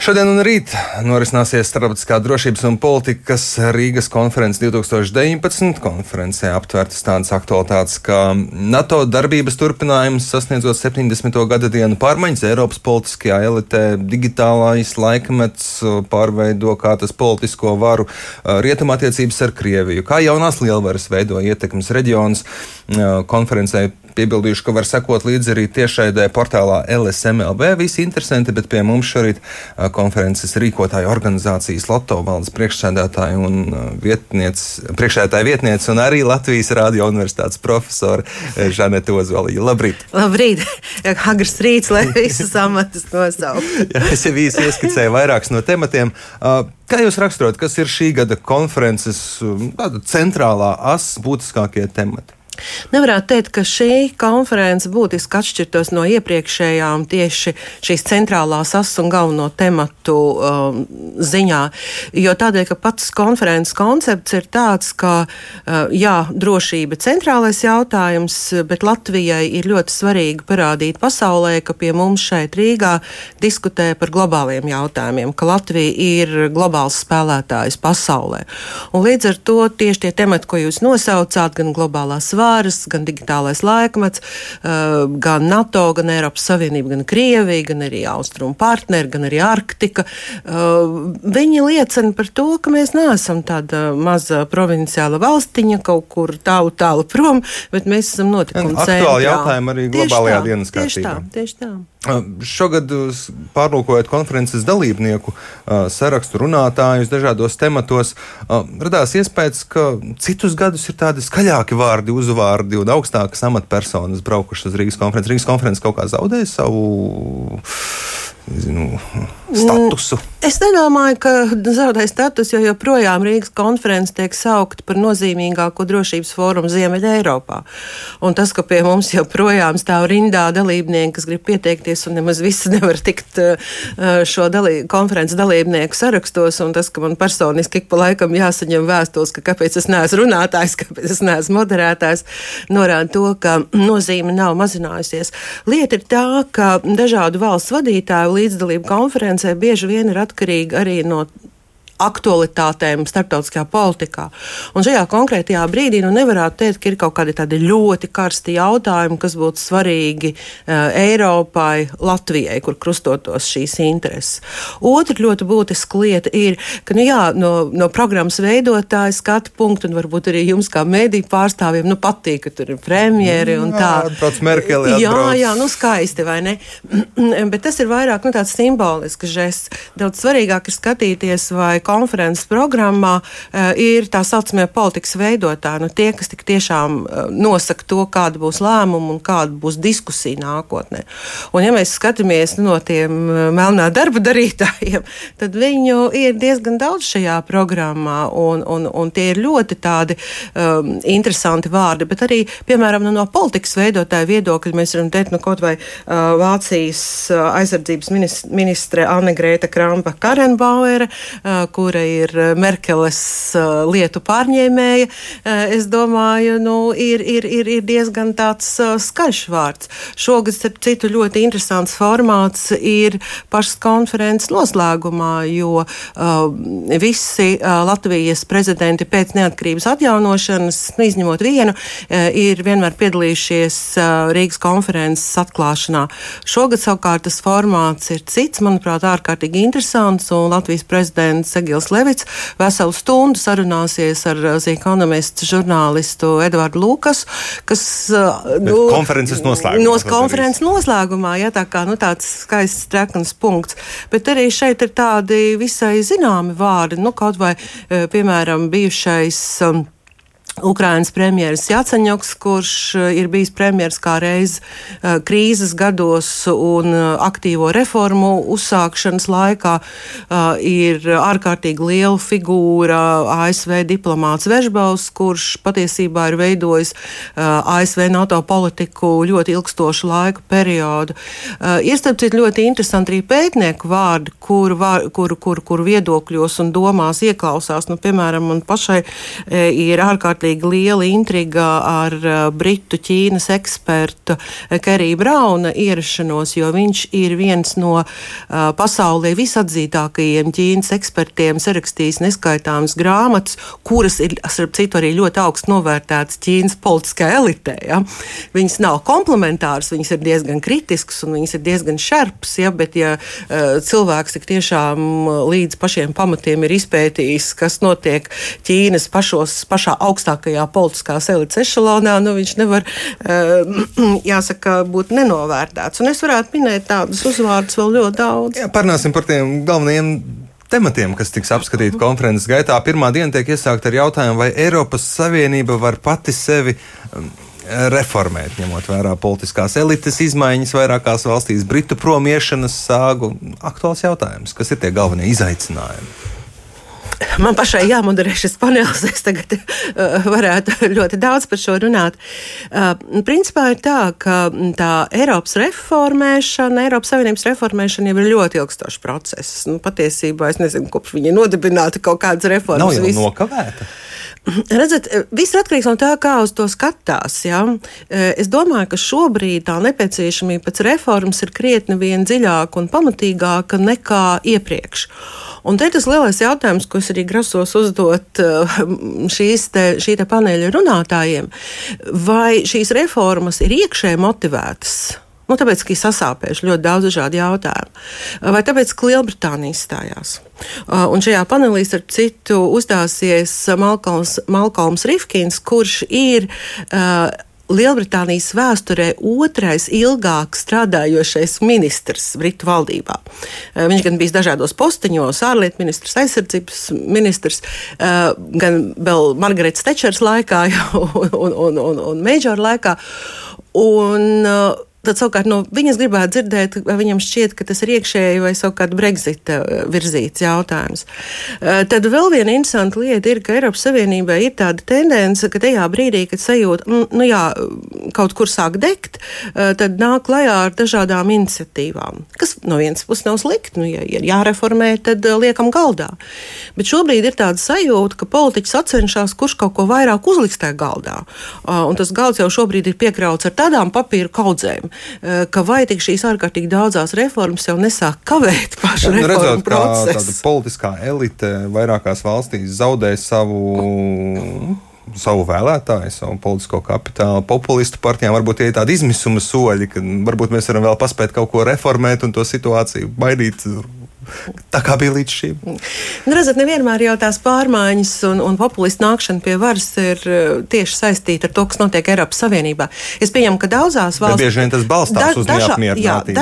Šodien un rīt norisināsies Starptautiskā drošības un politikas Rīgas konferences 2019. Konferencē aptvērtas tādas aktualitātes kā NATO darbības turpinājums, sasniedzot 70. gada dienu, pārmaiņas Eiropas politiskajā elitē, digitālais laikmets pārveido kā tas politisko varu, rietumattiecības ar Krieviju, kā jaunās lielvaras veido ietekmes reģionus. Konferencē piebildījuši, ka var sekot līdzi arī tiešraidē portālā LSMLV. Visi interesanti, bet pie mums šorīt konferences rīkotāja organizācijas Loto valdes priekšsēdētāja un priekšsēdētāja vietniece un arī Latvijas Radio universitātes profesora Žanete Ozoliņa. Labrīt! Labrīt! Agrs rīts, lai visus amatus nosaukt. Es jau īsi ieskicēju vairākus no tematiem. Kā jūs raksturot, kas ir šī gada konferences centrālā as, būtiskākie temati? Nevarētu teikt, ka šī konference būtiski atšķirtos no iepriekšējām tieši šīs centrālās asas un galveno tematu ziņā, jo tādēļ, ka pats konferences koncepts ir tāds, ka drošība centrālais jautājums, bet Latvijai ir ļoti svarīgi parādīt pasaulē, ka pie mums šeit Rīgā diskutē par globāliem jautājumiem, ka Latvija ir globāls spēlētājs pasaulē. Un līdz ar to tieši tie temati, ko jūs nosaucāt, gan globālās gan digitālais laikmets, gan NATO, gan Eiropas Savienība, gan Krievija, gan arī austrumu partneri, gan arī Arktika. Viņi liecina par to, ka mēs neesam tāda maza provinciāla valstiņa kaut kur tālu prom, bet mēs esam notikuma centrā. Aktuāli jautājumi arī globālajā dienas kārtībā. Tieši tā. Šogad pārlūkojot konferences dalībnieku sarakstu runātājus dažādos tematos, radās iespējas, ka citus gadus ir tādi skaļāki vārdi, uzvārdi un augstākas amatpersonas braukušas uz Rīgas konferences. Rīgas konferences kaut kā zaudēja savu statusu? Es nedomāju, ka zaudēja status, jo joprojām Rīgas konferences tiek saukta par nozīmīgāko drošības fórumu Ziemeļa Eiropā. Un tas, ka pie mums joprojām stāv rindā dalībnieki, kas grib pieteikties un nemaz visi nevar tikt šo konferences dalībnieku sarakstos, un tas, ka man personiski ik pa laikam jāsaņem vēstules, ka kāpēc es neesmu runātājs, kāpēc es neesmu moderētājs, norāda to, ka nozīme nav mazinājusies. Lieta ir tā, ka dažādu valsts vadītāju līdzdalība konferencē bieži vien ir atkarīga arī no aktualitātēm starptautiskajā politikā. Un šajā konkrētajā brīdī nevarētu teikt, ka ir kaut kādi tādi ļoti karsti jautājumi, kas būtu svarīgi Eiropai, Latvijai, kur krustotos šīs intereses. Otra ļoti būtiska lieta ir, ka no programmas veidotāja skatu punktu, un varbūt arī jums kā mediju pārstāvjiem patīk, ka tur ir premjeri un tā. Atbrauc Merkeli, Jā, skaisti, vai ne? Bet tas ir vairāk tāds simbolisks žests. Daudz svarīgāk ir skatīties, vai konferences programmā ir tā saucamie politikas veidotāji, tie, kas tik tiešām nosaka to, kāda būs lēmuma un kāda būs diskusija nākotnē. Un ja mēs skatāmies no tiem melnā darba darītājiem, tad viņu ir diezgan daudz šajā programmā, un tie ir ļoti tādi interesanti vārdi, bet arī, piemēram, no politikas veidotāju viedokļa mēs varam teikt, kaut vai Vācijas aizsardzības ministre Anne-Grēta Krampa-Karrenbauere, kura ir Merkeles lietu pārņēmēja, es domāju, ir diezgan tāds skaļš vārds. Šogad, starp citu, ļoti interesants formāts ir pašas konferences noslēgumā, jo visi Latvijas prezidenti pēc neatkarības atjaunošanas, izņemot vienu, ir vienmēr piedalījušies Rīgas konferences atklāšanā. Šogad savukārt tas formāts ir cits, manuprāt, ārkārtīgi interesants, un Latvijas prezidents Egils Levits veselu stundu sarunāsies ar ekonomistu žurnālistu Edvardu Lukasu, kas konferences noslēgumā, tā kā tāds skaists trekns punkts. Bet arī šeit ir tādi visai zināmi vārdi, kaut vai, piemēram, bijušais Ukrainas premjeras Jaceņoks, kurš ir bijis premjeras kā reiz krīzes gados un aktīvo reformu uzsākšanas laikā, ir ārkārtīgi liela figūra ASV diplomāts Vežbaus, kurš patiesībā ir veidojis ASV NATO politiku ļoti ilgstošu laiku periodu. Ir starp citu ļoti interesanti arī pētnieku vārdi, kuru viedokļos un domās ieklausās. Piemēram, man pašai ir ārkārtīgi ārkārtīgi liela intriga ar britu Ķīnas ekspertu Keriju Brauna ierašanos, jo viņš ir viens no pasaulē visatzītākajiem Ķīnas ekspertiem, sarakstījis neskaitāmas grāmatas, kuras ir, starp citu, arī ļoti augstu novērtētas Ķīnas politiskajā elitē. Ja? Viņas nav komplementāras, viņas ir diezgan kritiskas un viņas ir diezgan šarpas, ja? Bet ja cilvēks tik tiešām līdz pašiem pamatiem ir izpētījis, kas notiek Ķīnas pašā augstākajā politiskās elites ešalonā, nu viņš nevar, jāsaka, būt nenovērtēts. Un es varētu minēt tādus uzvārdus vēl ļoti daudz. Jā, parunāsim par tiem galvenajiem tematiem, kas tiks apskatīti konferences gaitā. Pirmā diena tiek iesākta ar jautājumu, vai Eiropas Savienība var pati sevi reformēt, ņemot vērā politiskās elites izmaiņas vairākās valstīs, Britu promiešanas sāgu. Aktuāls jautājums. Kas ir tie galvenie izaicinājumi? Man pašai jāmoderē šis panelis, es tagad varētu ļoti daudz par šo runāt. Principā ir tā, ka tā Eiropas Savienības reformēšana jau ir ļoti ilgstošs process. Nu, patiesībā es nezinu, kopš viņa nodibināta kaut kādas reformas. Nav jau nokavēta. Redzat, viss atkarīgs no tā, kā uz to skatās. Ja? Es domāju, ka šobrīd tā nepieciešamība pēc reformas ir krietni vien dziļāka un pamatīgāka nekā iepriekš. Un te tas lielais jautājums, ko es arī grasos uzdot šī te paneļa runātājiem, vai šīs reformas ir iekšēji motivētas? Nu, tāpēc, ka ir sasāpējuši ļoti daudz dažādu jautājumu. Vai tāpēc, ka Lielbritānija izstājās? Un šajā panelī, starp citu, uzstāsies Malkolms Rifkins, kurš ir Lielbritānijas vēsturē otrais ilgāk strādājošais ministrs Britu valdībā. Viņš gan bijis dažādos posteņos, ārlietu ministrs, aizsardzības ministrs, gan vēl Margaretas Tečers laikā un Meidžora laikā. Un tad savukārt no viņas gribētu dzirdēt, vai viņam šķiet, ka tas ir iekšēji vai savukārt Brexita virzīts jautājums. Tad vēl viena interesanta lieta ir, ka Eiropas Savienībai ir tāda tendence, ka tajā brīdī, kad sajūta, kaut kur sāk degt, tad nāk klajā ar dažādām iniciatīvām, kas no vienas puses nav slikti, ja ir jāreformē, tad liekam galdā. Bet šobrīd ir tāda sajūta, ka politiķis atcenšas, kurš kaut ko vairāk uzliks tajā galdā. Un tas galds jau šobrīd ir piekrauts ar tādām papīru kaudzēm, ka vai tik šīs ārkārtīgi daudzās reformas jau nesāk kavēt pašu reformu procesu. Tāda politiskā elite vairākās valstīs zaudē savu vēlētāju, savu politisko kapitālu. Populistu partijām varbūt tie ir tādi izmisuma soļi, ka varbūt mēs varam vēl paspēt kaut ko reformēt un to situāciju baidīt tā kā bija līdz šim. Redzat, nevienmēr jau tās pārmaiņas un populistu nākšana pie varas ir tieši saistīta ar to, kas notiek Eiropas Savienībā. Es pieņemu, ka daudzās valstīs... Bieži vien tas balstās uz neapmierinātību.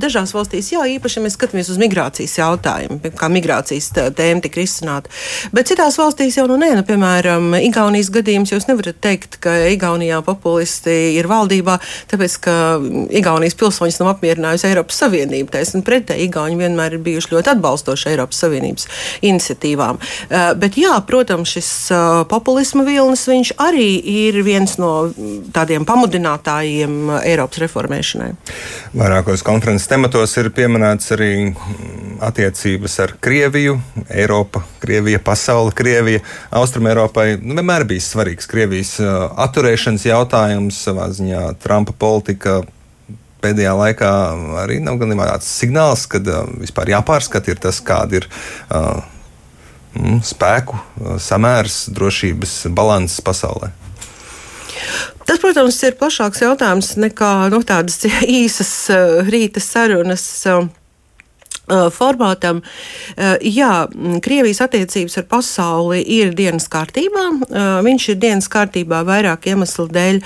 Dažās valstīs, īpaši mēs skatāmies uz migrācijas jautājumu, kā migrācijas tēma tika risināta. Bet citās valstīs jau piemēram, Igaunijas gadījums, jūs nevarat teikt, ka Igaunijā populisti ir valdībā, tāpēc, ka Igaunijas pilsoņus nav apmierinājusi Eiropas Savienība. Taisn pretēji, Igauni vienmēr ir bijuši ļoti atbalstoši Eiropas Savienības iniciatīvām. Bet protams, šis populisma vilnis, viņš arī ir viens no tādiem pamudinātājiem Eiropas reformēšanai. Vairākos konferences tematos ir pieminēts arī attiecības ar Krieviju, Eiropa, Krievija, pasaule, Krievija. Austrumēropai vienmēr bijis svarīgs Krievijas atturēšanas jautājums, savā ziņā Trumpa politika pēdējā laikā arī nav gan tāds signāls, kad vispār jāpārskata ir tas, kāda ir spēku samērs, drošības balanss pasaulē. Tas, protams, ir plašāks jautājums nekā tādas īsas rīta sarunas formātam. Krievijas attiecības ar pasauli ir dienas kārtībā. Viņš ir dienas kārtībā vairāk iemeslu dēļ,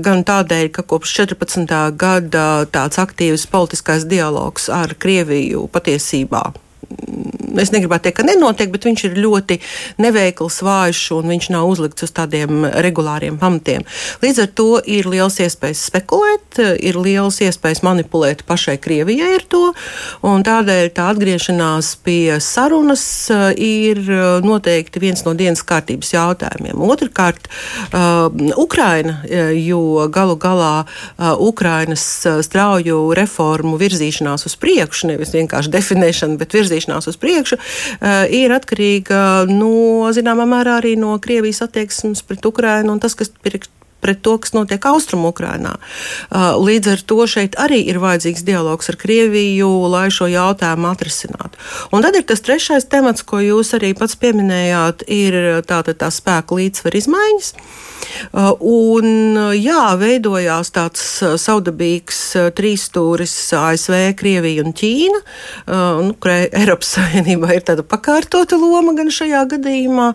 gan tādēļ, ka kopš 14. gada tāds aktīvs politiskais dialogs ar Krieviju patiesībā. Es negribētu teikt, ka nenotiek, bet viņš ir ļoti neveikls, vājš un viņš nav uzlikts uz tādiem regulāriem pamatiem. Līdz ar to ir liels iespējas spekulēt, ir liels iespējas manipulēt pašai Krievijai ar to, un tādēļ tā atgriešanās pie sarunas ir noteikti viens no dienas kārtības jautājumiem. Otrkārt, Ukraina, jo galu galā Ukrainas strauju reformu virzīšanās uz priekšu, nevis vienkārši definēšana, bet virzīšanās uz priekšu, priekšu, ir atkarīga zināmā mērā arī no Krievijas attieksmes pret Ukrainu un tas, kas pret to, kas notiek Austrumu-Ukrainā. Līdz ar to šeit arī ir vajadzīgs dialogs ar Krieviju, lai šo jautājumu atrisinātu. Un tad ir tas trešais temats, ko jūs arī pats pieminējāt, ir tā spēku līdzsvaru izmaiņas. Veidojās tāds savdabīgs trīsstūris ASV, Krievija un Ķīna, kurai Eiropas Savienībā ir tāda pakārtota loma gan šajā gadījumā.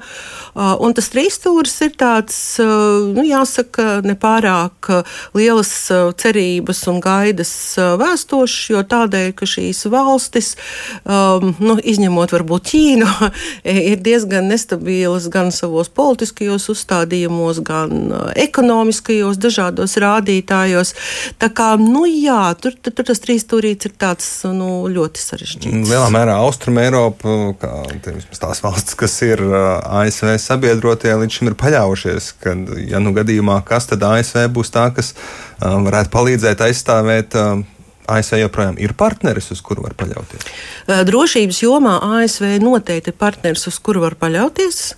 Un tas trīsstūris ir tāds, jāsaka, nepārāk lielas cerības un gaidas vēstošs, jo tādēļ, ka šīs valstis, izņemot varbūt Ķīnu, ir diezgan nestabilas gan savos politiskajos uzstādījumos, gan ekonomiskajos dažādos rādītājos. Tā kā, tur tas trīsstūrīts ir tāds, ļoti sarežģīts. Lielā mērā Austruma Eiropa, kā tās valstis, kas ir ASV sabiedrotie, līdz šim ir paļaujušies, ka, ja gadījumā kas, tad ASV būs tā, kas varētu palīdzēt aizstāvēt. ASV joprojām ir partneris, uz kuru var paļauties? Drošības jomā ASV noteikti ir partneris, uz kuru var paļauties.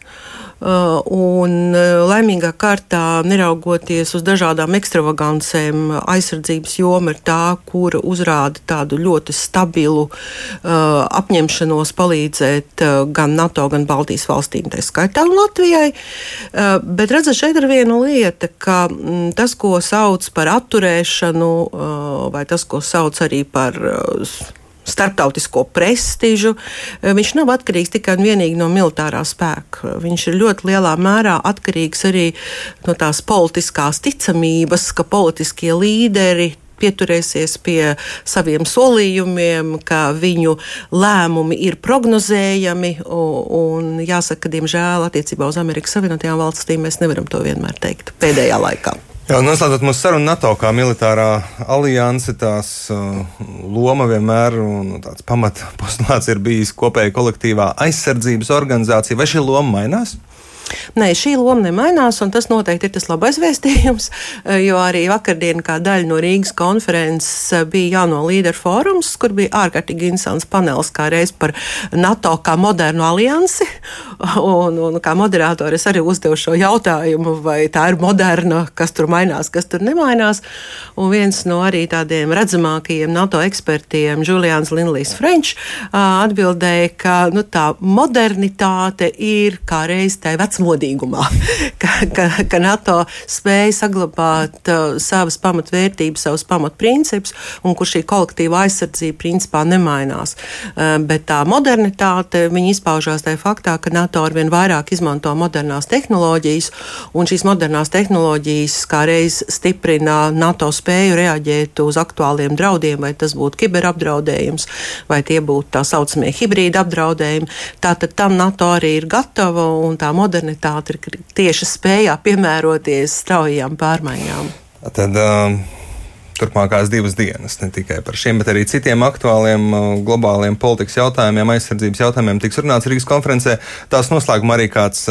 Un laimīgā kārtā, neraugoties uz dažādām ekstravagancēm, aizsardzības joma ir tā, kura uzrāda tādu ļoti stabilu apņemšanos palīdzēt gan NATO, gan Baltijas valstīm, tā skaitā un Latvijai. Bet redzat, šeit ir viena lieta, ka tas, ko sauc par atturēšanu, vai tas, ko sauc arī par starptautisko prestižu, viņš nav atkarīgs tikai un vienīgi no militārā spēka. Viņš ir ļoti lielā mērā atkarīgs arī no tās politiskās ticamības, ka politiskie līderi pieturēsies pie saviem solījumiem, ka viņu lēmumi ir prognozējami, un jāsaka, diemžēl attiecībā uz Amerikas Savienotajām valstīm mēs nevaram to vienmēr teikt pēdējā laikā. Jā, noslēdzot mūsu sarunu, NATO kā militārā alianse, tās loma vienmēr un tāds pamatpostulāts ir bijis kopēja kolektīvā aizsardzības organizācija. Vai šī loma mainās? Nē, šī loma nemainās, un tas noteikti ir tas labais vēstījums, jo arī vakardien kā daļa no Rīgas konferences bija jauno līderu fórums, kur bija ārkārtīgi interesants panelis kā reiz par NATO kā modernu aliansi, un kā moderātori es arī uzdevu šo jautājumu, vai tā ir moderna, kas tur mainās, kas tur nemainās, un viens no arī tādiem redzamākajiem NATO ekspertiem, Julians Lindlijs French, atbildēja, ka tā modernitāte ir kā reiz tai vecmodīgumā, ka NATO spēja saglabāt savas pamatvērtības, savus pamatprincipus, un kur šī kolektīva aizsardzība principā nemainās. Bet tā modernitāte, viņa izpaužās tajā faktā, ka NATO arvien vairāk izmanto modernās tehnoloģijas, un šīs modernās tehnoloģijas kā reiz stiprina NATO spēju reaģēt uz aktuāliem draudiem, vai tas būtu kiberapdraudējums, vai tie būtu tā saucamie hibrīda apdraudējumi. Tātad tam NATO arī ir gatava, un tā modernitāte ir tieši spējā piemēroties straujām pārmaiņām. Tad turpmākās 2 dienas ne tikai par šiem, bet arī citiem aktuāliem globāliem politikas jautājumiem, aizsardzības jautājumiem tiks runāts Rīgas konferencē. Tās noslēgumā arī kāds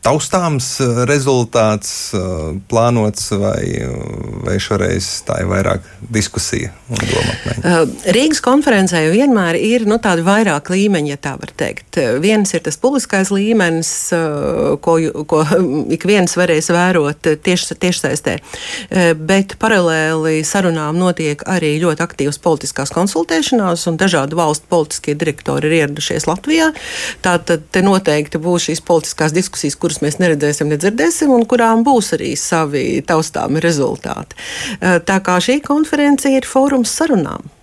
taustāms rezultāts plānots, vai šoreiz tā ir vairāk diskusija un domātmaiņa? Rīgas konferencē vienmēr ir tādi vairāk līmeņi, ja tā var teikt. Viens ir tas publiskais līmenis, ko ik viens varēs vērot tiešsaistē, bet paralēli sarunām notiek arī ļoti aktīvas politiskās konsultēšanās, un dažādu valstu politiskie direktori ir ieradušies Latvijā. Tātad te noteikti būs šīs politiskās diskusijas, kuras mēs neredzēsim, nedzirdēsim, un kurām būs arī savi taustāmi rezultāti. Tā kā šī konference ir fórums sarunām.